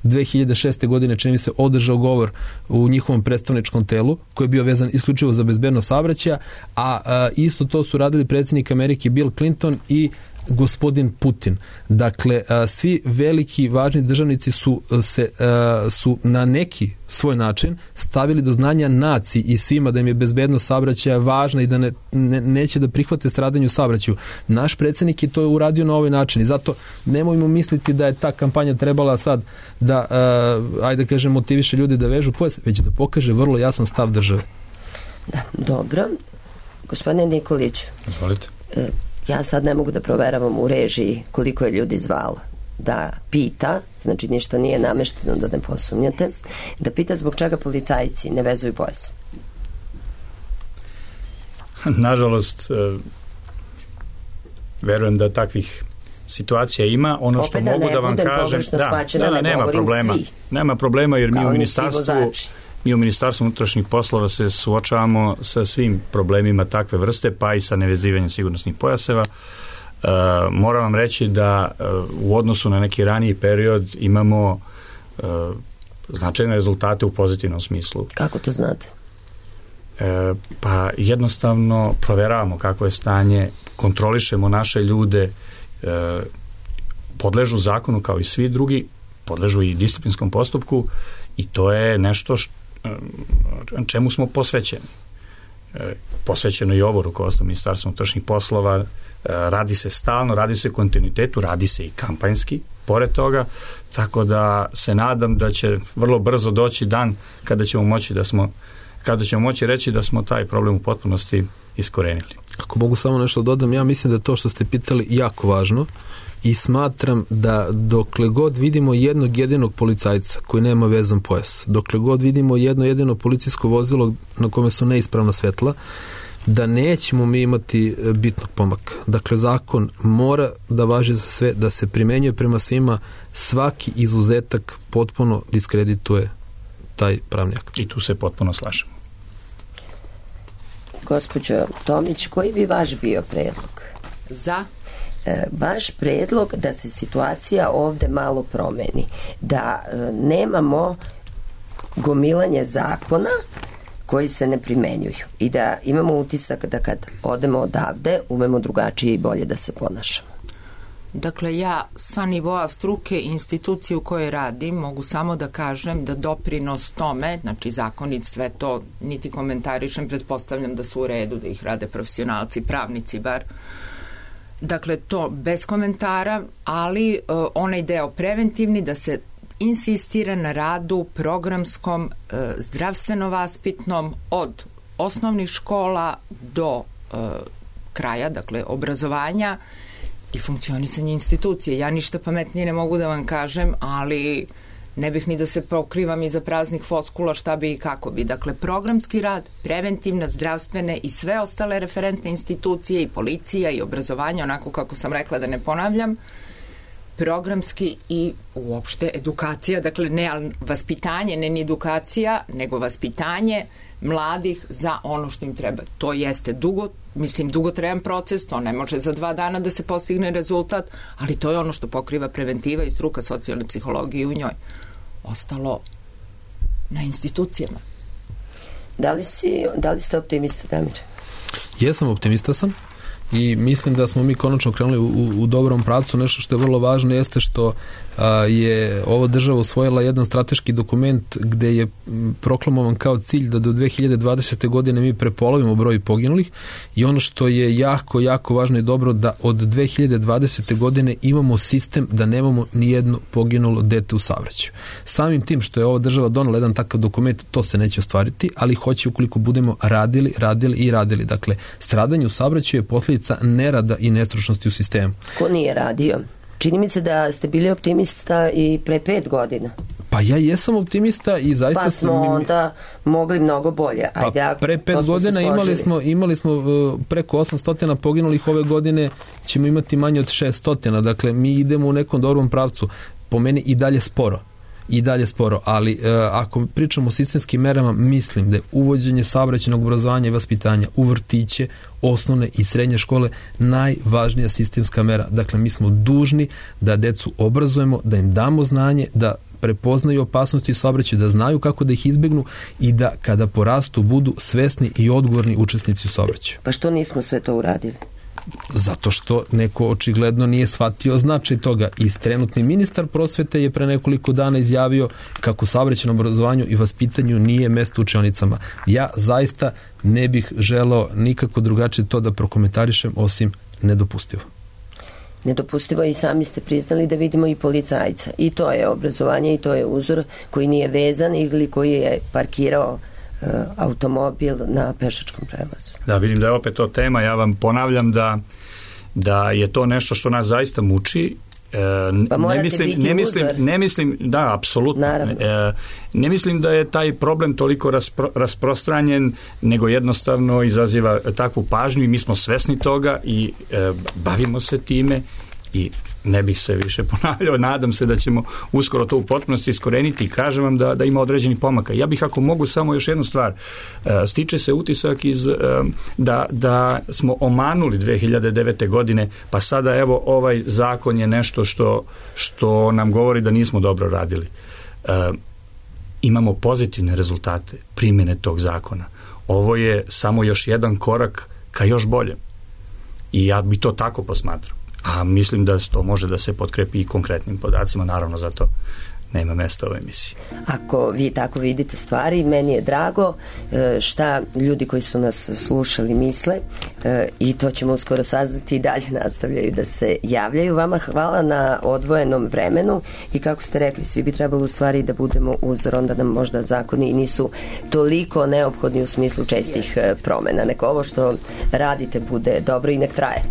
dve hiljade šeste. godine, čini mi se, održao govor u njihovom predstavničkom telu koji je bio vezan isključivo za bezbednost saobraćaja, a, a isto to su radili predsjednik Amerike Bill Clinton i gospodin Putin. Dakle, a, svi veliki važni državnici su se a, su na neki svoj način stavili do znanja naciji i svima da im je bezbednost saobraćaja važna i da ne, ne, neće da prihvate stradanje u saobraćaju. Naš predsjednik je to uradio na ovaj način i zato nemojmo misliti da je ta kampanja trebala sad da, uh, ajde kažem, motiviše ljudi da vežu pojas, već da pokaže vrlo jasan stav države. Da, dobro. Gospodine Nikoliću, izvolite. Ja sad ne mogu da proveravam u režiji koliko je ljudi zvalo da pita, znači ništa nije namešteno da ne posumnjate, da pita zbog čega policajci ne vezuju pojas. Nažalost, verujem da takvih situacija ima. Ono Opet što da mogu da vam kažem, da, da, da, nema problema. Svi. Nema problema jer mi u ministarstvu mi u Ministarstvu unutrašnjih poslova se suočavamo sa svim problemima takve vrste, pa i sa nevezivanjem sigurnosnih pojaseva. Uh, moram vam reći da uh, u odnosu na neki raniji period imamo uh, značajne rezultate u pozitivnom smislu. Kako to znate? Uh, pa jednostavno proveravamo kako je stanje, kontrolišemo naše ljude, uh, podležu zakonu kao i svi drugi, podležu i disciplinskom postupku i to je nešto što, uh, čemu smo posvećeni. Uh, posvećeno i ovo rukovodstvo Ministarstva unutrašnjih poslova. Radi se stalno, radi se kontinuitetu, radi se i kampanjski, pored toga, tako da se nadam da će vrlo brzo doći dan kada ćemo moći da smo, kada ćemo moći reći da smo taj problem u potpunosti iskorenili. Ako mogu samo nešto dodam, ja mislim da to što ste pitali jako važno i smatram da dokle god vidimo jednog jedinog policajca koji nema vezan pojas, dokle god vidimo jedno jedino policijsko vozilo na kome su neispravna svetla, da nećemo mi imati bitnog pomaka. Dakle, zakon mora da važi za sve, da se primenjuje prema svima, svaki izuzetak potpuno diskredituje taj pravni akt. I tu se potpuno slažemo. Gospođo Tomić, koji bi vaš bio predlog? Za? E, vaš predlog da se situacija ovde malo promeni, da e, nemamo gomilanje zakona koji se ne primenjuju i da imamo utisak da kad odemo odavde umemo drugačije i bolje da se ponašamo. Dakle, ja sa nivoa struke i institucije u kojoj radim mogu samo da kažem da doprinos tome, znači zakonit, sve to niti komentarišem, pretpostavljam da su u redu, da ih rade profesionalci, pravnici bar. Dakle, to bez komentara, ali uh, onaj deo preventivni da se insistira na radu programskom, uh, zdravstveno-vaspitnom od osnovnih škola do uh, kraja, dakle obrazovanja i funkcionisanje institucije. Ja ništa pametnije ne mogu da vam kažem, ali ne bih ni da se pokrivam iza praznih floskula šta bi i kako bi. Dakle, programski rad, preventivna, zdravstvene i sve ostale referentne institucije i policija i obrazovanje, onako kako sam rekla da ne ponavljam, programski i uopšte edukacija, dakle ne vaspitanje, ne ni edukacija, nego vaspitanje mladih za ono što im treba. To jeste dugo, mislim dugotrajan proces, to ne može za dva dana da se postigne rezultat, ali to je ono što pokriva preventiva i struka socijalne psihologije u njoj. Ostalo na institucijama. Da li, si, da li ste optimista, Damir? Jesam, optimista sam. I mislim da smo mi konačno krenuli u, u dobrom pravcu. Nešto što je vrlo važno jeste što a, je ova država usvojila jedan strateški dokument gde je proklamovan kao cilj da do dve hiljade dvadesete. godine mi prepolovimo broj poginulih i ono što je jako, jako važno i dobro da od dve hiljade dvadesete. godine imamo sistem da nemamo ni jedno poginulo dete u saobraćaju. Samim tim što je ova država donela jedan takav dokument, to se neće ostvariti, ali hoće ukoliko budemo radili, radili i radili. Dakle, stradanje u saobraćaju je posljedica nerada i nestručnosti u sistemu. Ko nije radio? Čini mi se da ste bili optimista i pre pet godina. Pa ja jesam optimista i zaista... Pa smo mi... onda mogli mnogo bolje. Ajde, pa pre pet godina imali smo, imali smo uh, preko osamsto poginulih, ove godine ćemo imati manje od šessto. Dakle, mi idemo u nekom dobrom pravcu. Po meni i dalje sporo. i dalje sporo, ali e, ako pričamo o sistemskim merama, mislim da je uvođenje saobraćajnog obrazovanja i vaspitanja u vrtiće, osnovne i srednje škole najvažnija sistemska mera. Dakle, mi smo dužni da decu obrazujemo, da im damo znanje, da prepoznaju opasnosti saobraćaja, da znaju kako da ih izbegnu i da kada porastu budu svesni i odgovorni učesnici u saobraćaju. Pa što nismo sve to uradili? Zato što neko očigledno nije shvatio značaj toga. I trenutni ministar prosvete je pre nekoliko dana izjavio kako saobraćajnom obrazovanju i vaspitanju nije mesto u učionicama. Ja zaista ne bih želeo nikako drugačije to da prokomentarišem, osim nedopustivo. Nedopustivo je, i sami ste priznali da vidimo i policajca. I to je obrazovanje i to je uzor koji nije vezan ili koji je parkirao automobil na pešačkom prelazu. Da, vidim da je opet to tema. Ja vam ponavljam da, da je to nešto što nas zaista muči. E, pa morate ne mislim, biti ne mislim, uzor. ne mislim, da, apsolutno. E, ne mislim da je taj problem toliko raspro, rasprostranjen, nego jednostavno izaziva takvu pažnju i mi smo svesni toga i e, bavimo se time i ne bih se više ponavljao, nadam se da ćemo uskoro to u potpunosti iskoreniti i kažem vam da, da ima određeni pomaka. Ja bih, ako mogu, samo još jednu stvar. Stiče se utisak iz, da, da smo omanuli dve hiljade devete. godine, pa sada evo ovaj zakon je nešto što, što nam govori da nismo dobro radili. Imamo pozitivne rezultate primjene tog zakona. Ovo je samo još jedan korak ka još boljem. I ja bi to tako posmatrao. A mislim da to može da se potkrepi i konkretnim podacima, naravno zato nema mesta u ovoj emisiji. Ako vi tako vidite stvari, meni je drago šta ljudi koji su nas slušali misle i to ćemo uskoro saznati i dalje nastavljaju da se javljaju. Vama hvala na odvojenom vremenu i kako ste rekli, svi bi trebalo u stvari da budemo uzor, onda nam možda zakoni nisu toliko neophodni u smislu čestih promena. Neko ovo što radite bude dobro i nek traje.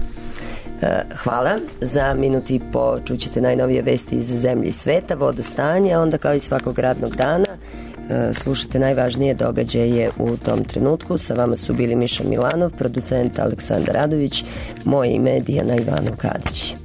Hvala. Za minut i po čućete najnovije vesti iz zemlje i sveta, vodostanje, onda kao i svakog radnog dana slušate najvažnije događaje u tom trenutku. Sa vama su bili Miša Milanov, producent Aleksandar Radović, moje ime je Dijana Ivanov Kadić.